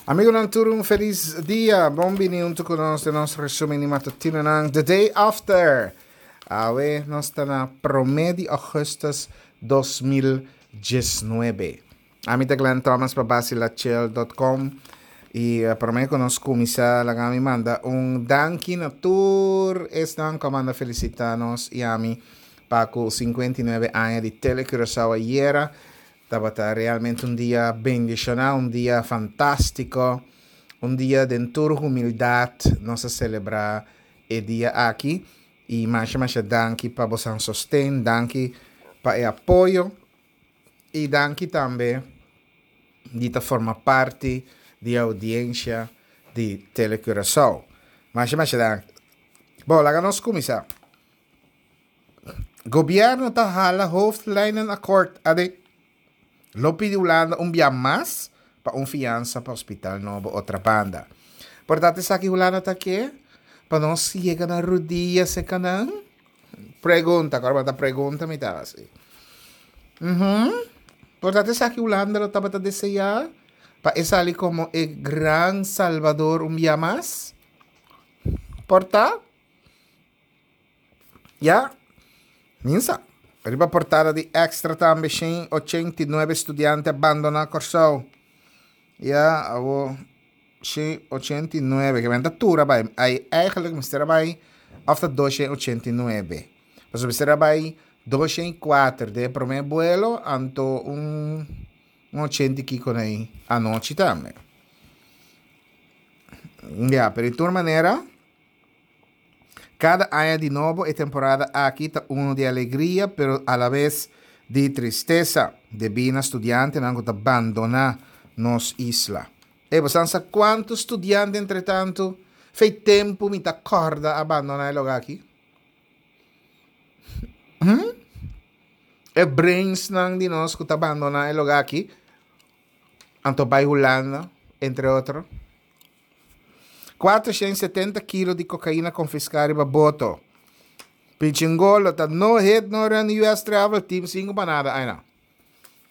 Amigonan tur un feliz dia. Bon bini hunto cu nos den nos resumen di matutinonan The Day After. Awe nos ta na prome di augustus 2019. Ami ta Glenn Thomas pa basilachel.com y eh, prome cu nos cuminsa laga mi manda un danki na tur esnan cu a manda felicita nos y ami pa cu 59 aña di Tele Curaçao ayera. Tabata realmente un dia bendiciona, un dia fantastico, un dia den tur humildad nos a celebra e dia aki y masha masha danki pa bosan sosten, danki pa e apoyo y danki tambe di ta forma parti di e audiencia di Tele Curaçao. Masha masha danki. Bon, laga nos cuminsa. Gobierno ta hala hoofdlijnenakkoord ade. Lo pidi Hulanda un bia mas pa un fiansa pa hospital nobo Otrabanda. Por tanto esaki Hulanda ta ke? Pa nos yega na rudia seca nan? Pregunta, kor ta pregunta mi ta hasi. Mhm. Por tanto esaki Hulanda lo tabata desea pa e sali como e gran salvador un bia mas? Por ta? Ya, minsa. Riba portada di Extra tambe 189 studiante a bandoná Kòrsou. Ya, awo 189, ke men ta tur a bai. Ai, eigenlijk mester a bai òf ta 289. Pasobra mester a bai 204 den e promé buelo, anto un un ochenta i kiko na ei anochi tambe. Ya, pero di tur manera. Kada aña di nobo e temporada aki ta unu di alegria pero alabes di tristesa debí na studiantenan ku ta bandoná nos isla. E bo san sa kuantu studiante entretantu fei tempu mi ta kòrda a bandoná e lugá aki? Hm? E brainsnan di nos ku ta bandoná e lugá aki anto bai Hulanda entre otro. 470 kilo di kokaina konfiská riba boto. Pichingolo ta no hit no run US travel team sin pa nada aina.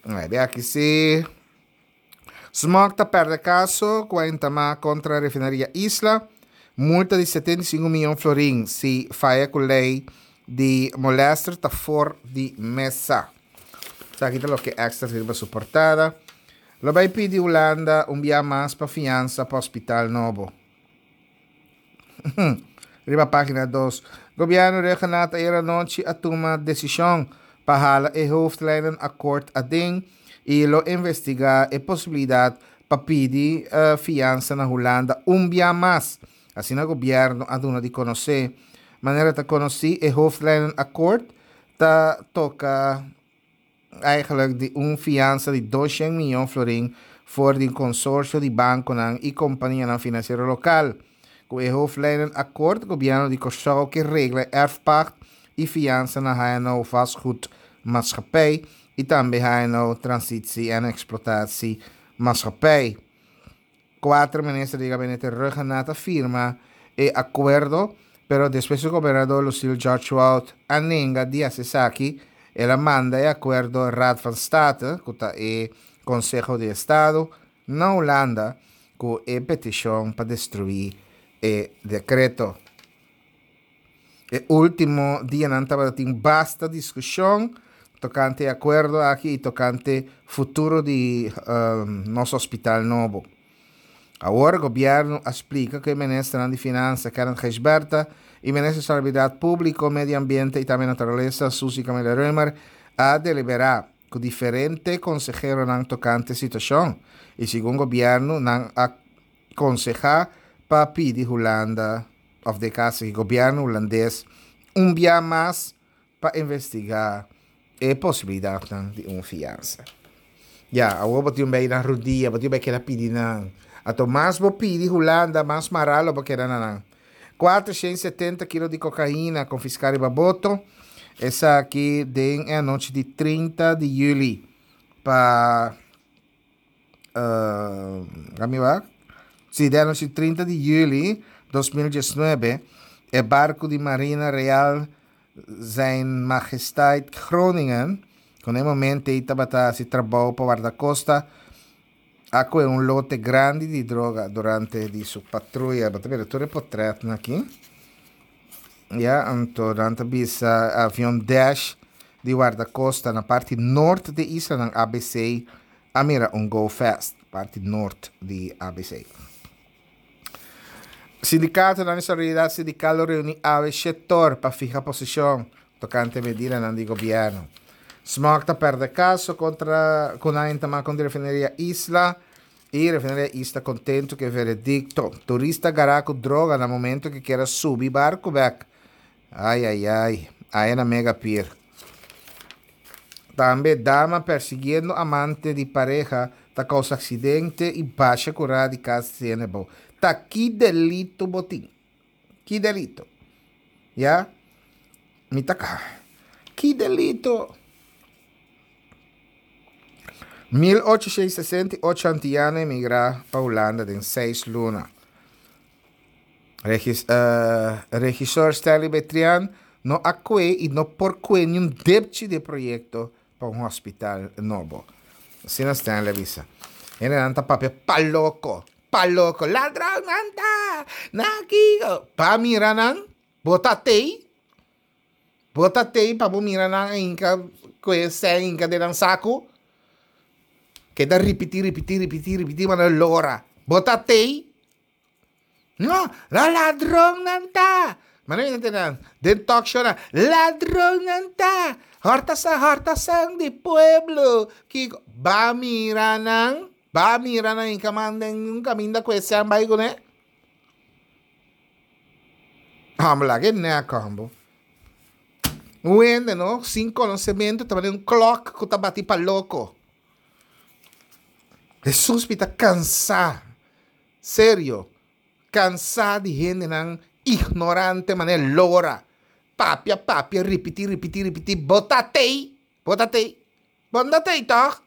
Ai, de aki si. Smog ta perde kaso ku a entamá kontra refineria Isla. Multa di 75 miyon florin si faya ku lei di molester ta for di mesa. Esaki ta loke Extra riba su portada. Lo bai pidi Hulanda un bia mas pa fiansa pa hospital nobo. Riba pagina dos, Gobierno Rhuggenaath ayer anochi a tuma decision pa hala e hoofdlijnenakkoord aden y lo investiga e posibilidad pa pidi fiansa na Hulanda un bia mas. Asina gobierno a duna di conoce. Manera ta conoci e hoofdlijnenakkoord ta toca. Eigenlijk di un fiansa di 200 miyon florin for di un konsorsio di bankonan i kompanianan finansiero lokal. Ku e hoofdlijnenakkoord gobièrnu di Kòrsou ke regla e erfpacht i fiansa na HNO Vastgoed Maatschappij i tambe HNO Transitie en Exploitatie Maatschappij. Kuater minister di gabinete Rhuggenaath a firma e akuerdo, pero despues ku gobernador Lucille George-Wout a nenga di hasi esaki, el a manda e akuerdo Raad van State, ku ta e Konseho di Estado, na Hulanda ku e petishon pa destruí e dekreto. E último dianan tabata tin basta diskushon tokante e akuerdo aki i tokante futuro di nos hospital nobo. Awor gobièrnu a splika ku e ministernan di Finansa Kenneth Gijsbertha i minister di Salubridat Públiko, Medio Ambiente i tambe Naturalesa Suzy Camelia Römer a deliberá ku diferente konseheronan tokante e situashon i segun gobièrnu nan a konsehá pa pidi Hulanda òf den kaso di gobièrnu hulandes un bia mas pa investigá e posibilidatnan di un fiansa. Ya, awor bo tin un bei nan rudia, bo tin un bei keda pidi nan. Anto mas bo pidi Hulanda, mas mará lo bo keda na nan. 470 kilo di kokaina konfiská riba boto, esaki den e anochi di 30 di yüli pa Laat wak. Sí, den anochi 30 di juli 2019, e barku di Marina Real Zijn Majesteit Groningen, ku na e momento ei tabata hasi trabou pa Wardakosta, A kue un lote grandi di droga durante di su patruya. Bo ta mira tur e potretnan aki. Ya, anto nan ta bisa avion Dash di Wardakosta na parti nort di islanan ABC a mira un Go Fast, parti nort di ABC. Sindikatonan di Solidaridad Sindikal lo reuni awe shetor pa fiha posishon tokante medidanan di gobièrnu. Smok ta pèrdè kaso kontra ku nan entamá kontra Refineria Isla i Refineria Isla kontentu ku e veredikto. Turista gará ku droga na momento ku kier a subi barku bèk. Ai ai ai, aya na Mega Pier. Tambe dama persiguiendo amante di pareha ta kousa aksidente i basha kurá di kas tiene bo. Ta ki delito bo tin? Ki delito? Ya? Mi ta ka. Ki delito? 1868 antiano emigrá pa Hulanda den seis luna. Regis, uh, regisor Stanley Betrian no a kue i no por kue ni un depchi di e proyekto pa un hospital nobo. Asina Stanley a bisa. Hendenan ta papia pa loko, pa loko. Ladronnan ta! Na kiko? Pa mira nan, bo ta tei? Bo ta tei pa bo mira nan a hinka kue sèn hinka den nan saku? Keda ripití, ripití, ripití, ripití manera lora. Bo ta tei? No, la ladronnan ta! Manera mi ta tende nan den talk show nan, ladronnan ta! Hòrta sa hòrta san di pueblo! Kiko? Ba mira nan, ba mira nan i kaman den un kaminda ku e sèn bai kuné. Hòmber laga e nèk hòmber. Un hende no sin konosementu ta manera un klòk ku ta bati pa loko. Hesus mi ta kansá. Serio, cansá di hendenan ignorante manera lora, papia, papia, ripití, ripití, ripití, bo ta tei, bo ta tei, bo no ta tei tòg?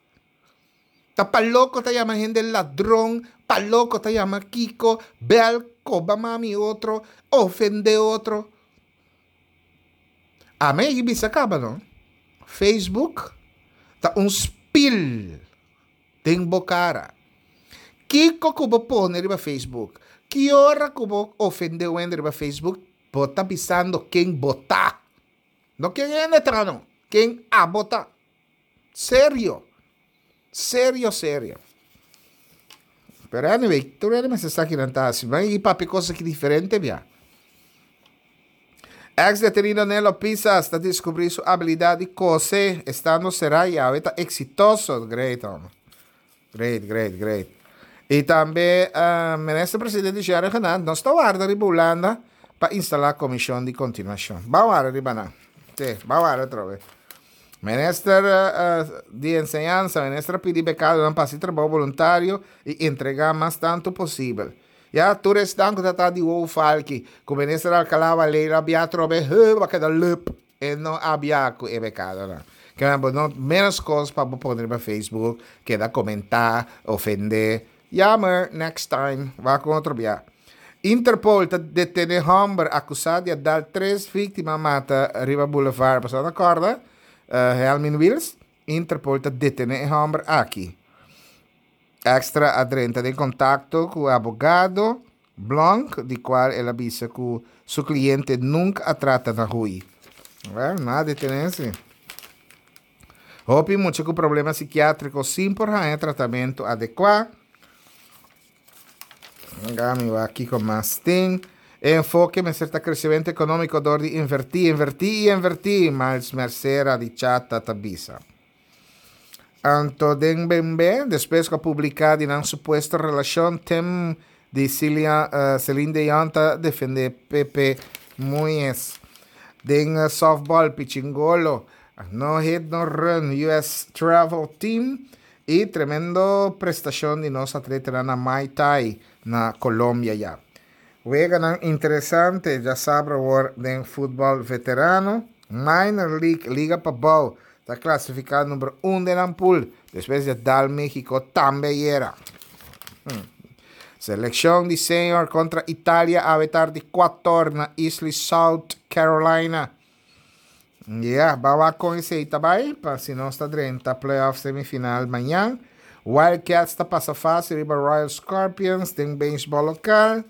Ta pa loko ta yama hende ladron, pa loko ta yama kiko, bèl, koba mami otro, ofendé otro. Ami a bisa kaba no, Facebook ta un spil. Den bo kara. Kiko ku bo pone riba Facebook? Ki ora ku bo ofende un hende riba Facebook, bo ta bisando ken bo ta. No ken hende ta no, ken abo ta. Serio. Serio, serio. Pero anyway, tur hende mester sa kinan ta hasi. Ban i papia kos aki diferente bia. Ex detenido Nelo Pisas ta descubri su habilidad di cose estando cera y awe ta exitoso. Great hombre. Great, great, great. Y tambe uh, minister presidente Jerry Genant nos ta warda riba Hulanda pa instala comision di continuacion. Ba warda riba nan. Sí, ba warda otra vez. Minister uh, di enseñanza, minister a pidi becadonan pa haci trabou voluntario y entrega mas tanto posibel. Ya, tur esnan ku ta ta di wou falki, ku Minister Alcalá Valero a bia atrobe, heu, a keda leup. E no a bia ku e bekadonan. Ke men bo no menos kos pa bo pone riba Facebook, keda komentá, ofendé. Jammer, next time, wak un otro bia. Interpol ta detené hòmber akusá di a dal tres víktima mata riba Boulevard. Boso a kòrda? Helmin Wiels? Interpol ta detené e hòmber aki. Extra a drenta den kontakto ku e abogado Blonk, di kual el a bisa ku su kliente nunka a trata na hui. Wèl, nan a detené si. Hopi mucha ku problema sikiátriko sin por haña tratamentu adekuá. Laga mi wak kiko mas tin. E enfoke mester ta kresementu ekonómiko dor di invertí, invertí i invertí, Miles Mercera di Chata ta bisa. Anto den Bembe, despues ku a publiká di nan supuesto relashon, Tim di Celia, Celine Dion ta defendé Pepe Muñez. Den softball, Pichingolo, no hit no run, US Travel Team i tremendo prestashon di nos atletanan na Muay Thai na Colombia ya. Weganan interesante djasabra awor den futbòl veterano. Minor League, Liga Pabou, ta klasifiká number un den nan pool despues di a dal Mexico tambe ayera. Selekshon di senior kontra Italia awe tardi kuator na Easley, South Carolina. Ya, ba wak kon esei ta bai, pa si nos ta drenta playoff semifinal mañan. Wildcats ta pasa fase riba Royal Scorpions den beisbòl lokal.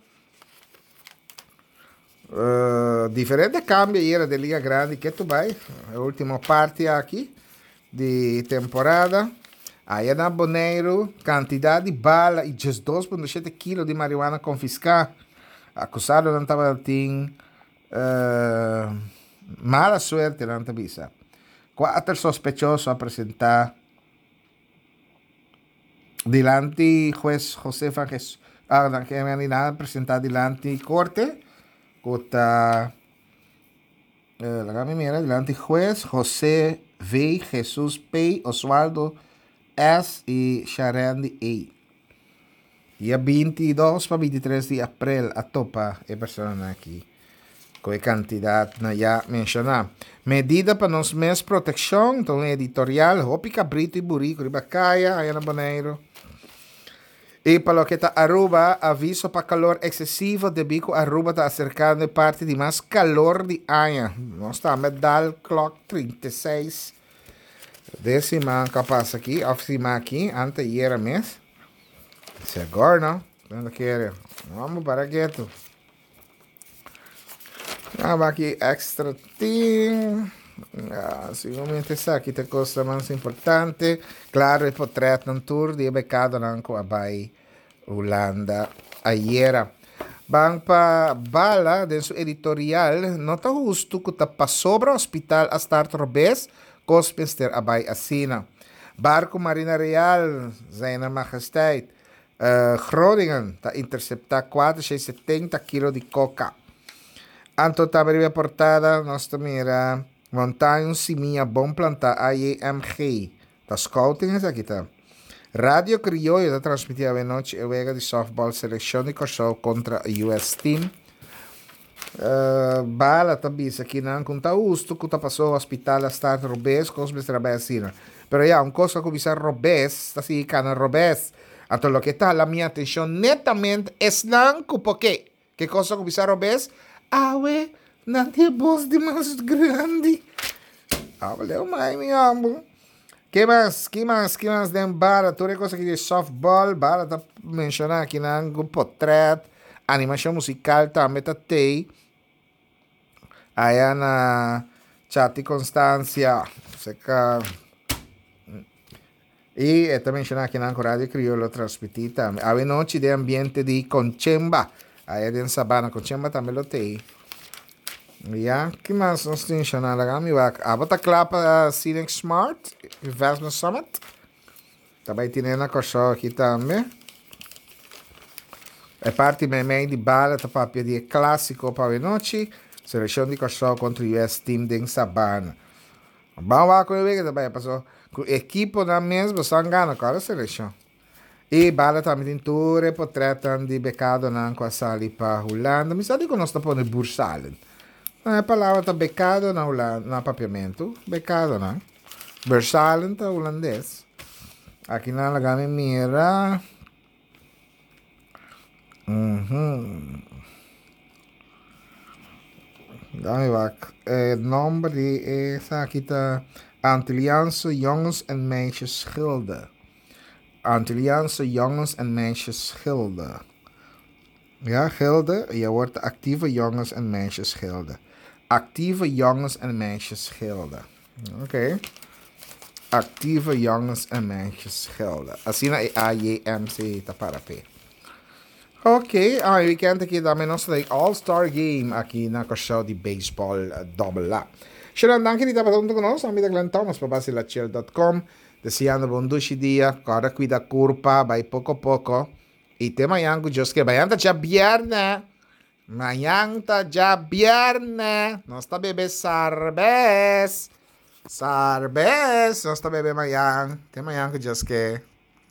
Diferente kambio ayera den Liga Grandi ke tu bai e ultimo parti aki di temporada. Aya na Boneiru kantidat di bala i 12.7 kilo di marihuana konfiská. Akusadonan tabatin mala suerte nan ta bisa. Kuater sospechoso a presentá. Dilanti hues José van Ges ah nan ke men nan a presenta dilanti korte ku ta laga mi mira dilanti hues José V Jesus P Oswaldo S i Sharendi A. Dia 22 pa 23 di aprel a topa e personanan aki ku e kantidatnan ya menshoná. Medida pa nos mes protekshon ta un editorial hopi kabritu i buriku riba kaya aya na Boneiru. I pa loke ta Aruba, aviso pa kalor eksesivo debí ku Aruba ta aserkando e parti di mas kalor di aña. Nos tambe a dal klòk 36 den siman ku a pasa aki òf siman aki, anteayera mes. Si agora no, no kere. Vamos para ketu. Ah, aqui extra team. Ah, seguramente esaki ta cosa mas importante. Claro, e portretnan tur di e becadonan cu a bay Hulanda ayera. Ban pa Bala den su editorial, no ta husto cu ta pasobra hospital a start robes, cos mester a bay asina. Barco Marina Real, Zijne Majesteit, Groningen ta intercepta 470 kilo di coca. Anto tambe riba e portada nos ta mira Montaña un simia bon plantá AJMG. Ta scouting esaki ta. Radio Crioyo ta transmiti awenochi e wega di softball seleccion di Kòrsou kontra US Team. Bala ta bisa kinan ku ta hustu ku ta pasó hospital a start robes, kos mester a bai asina. Pero ya, un kos a kuminsá robes, ta sigui kana robes. Anto loke ta hala mi atenshon netamente esnan ku por ke. Ke kos a kuminsá robes? Awe nan tin e bos di mas grandi. Awe leu mai mi hòmber. Ke mas? Ki mas? Ki mas den Bala? Tur e kos aki di softball, Bala ta menshoná akinan ku potrèt, animashon musikal tambe ta tei. Aya na Chati Constancia, seka. I e ta menshoná akinan ku Radio Kriol lo transmití tambe. Awe nochi den ambiente di Konchemba, aya den Sabana, Konchemba tambe lo tei. Ya, ki mas nos tin shona? Laga mi wak. Abo ta kla pa Scenic Smart Investment Summit? Ta bai tine na Kòrsou aki tambe. E parti meimei di bala ta papia di e klásiko pa awenochi, selekshon di Kòrsou kontra US Team den Sabana. Ban wak kon e wega ta bai paso ku ekiponan mes bo san gana kòrda selekshon. I bala tambe tin tur e potretnan di bekadonan ku a sali pa Hulanda. Mi sa dikon nos ta pone bursalen. E palabra ta bekado na Hulanda, na papiamentu, bekadonan. Bursalen ta hulandes. Aki nan laga mi mira. Dame wak. E nomber di esaki ta Antilliaanse Jongens en Meisjes Gilde. Antilliaanse Jongens en Meisjes Gilde. Ja, Gilde, y awor ta Actieve Jongens en Meisjes Gilde. Actieve Jongens en Meisjes Gilde. Ok. Actieve Jongens en Meisjes Gilde. Asina e AJMC ta para p'e. Ok, ah, e weekend aki tambe nos ta All Star Game aki na Kòrsou di baseball dobbel A. Sharon, danki di tabata huntu ku nos. Ami ta Glenn Thomas pa basilachel.com. Deseando bo un dushi dia. Kòrda kuida kurpa, bai poko poko. I te mañan ku Dios ke. Mañan ta djabièrnè. Mañan ta djabièrnè. Nos ta bebe sarbes. Sarbes nos ta bebe mañan. Te mañan ku Dios ke.